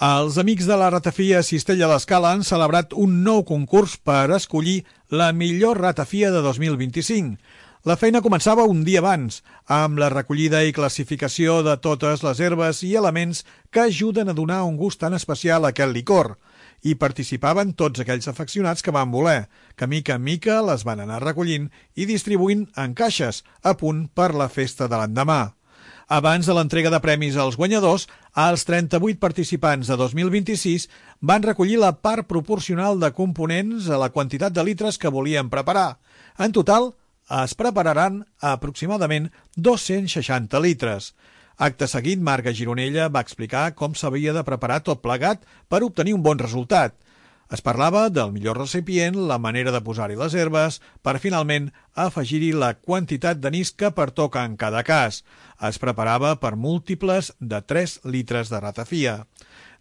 Els amics de la ratafia Cistella d'Escala han celebrat un nou concurs per escollir la millor ratafia de 2025. La feina començava un dia abans, amb la recollida i classificació de totes les herbes i elements que ajuden a donar un gust tan especial a aquest licor. Hi participaven tots aquells afeccionats que van voler, que mica en mica les van anar recollint i distribuint en caixes, a punt per la festa de l'endemà. Abans de l'entrega de premis als guanyadors, els 38 participants de 2026 van recollir la part proporcional de components a la quantitat de litres que volien preparar. En total, es prepararan aproximadament 260 litres. Acte seguit, Marga Gironella va explicar com s'havia de preparar tot plegat per obtenir un bon resultat. Es parlava del millor recipient, la manera de posar-hi les herbes, per finalment afegir-hi la quantitat d'anís que pertoca en cada cas. Es preparava per múltiples de 3 litres de ratafia.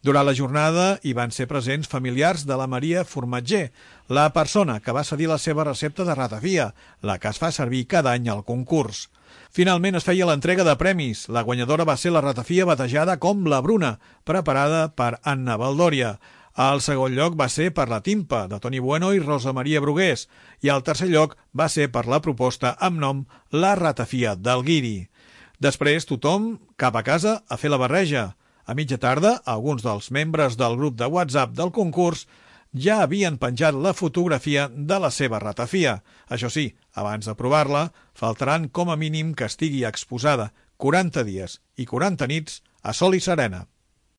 Durant la jornada hi van ser presents familiars de la Maria Formatger, la persona que va cedir la seva recepta de ratafia, la que es fa servir cada any al concurs. Finalment es feia l'entrega de premis. La guanyadora va ser la ratafia batejada com la Bruna, preparada per Anna Valdòria. El segon lloc va ser per la Timpa, de Toni Bueno i Rosa Maria Brugués, i el tercer lloc va ser per la proposta amb nom La ratafia del Guiri. Després, tothom cap a casa a fer la barreja. A mitja tarda, alguns dels membres del grup de WhatsApp del concurs ja havien penjat la fotografia de la seva ratafia. Això sí, abans de provar-la, faltaran com a mínim que estigui exposada 40 dies i 40 nits a sol i serena.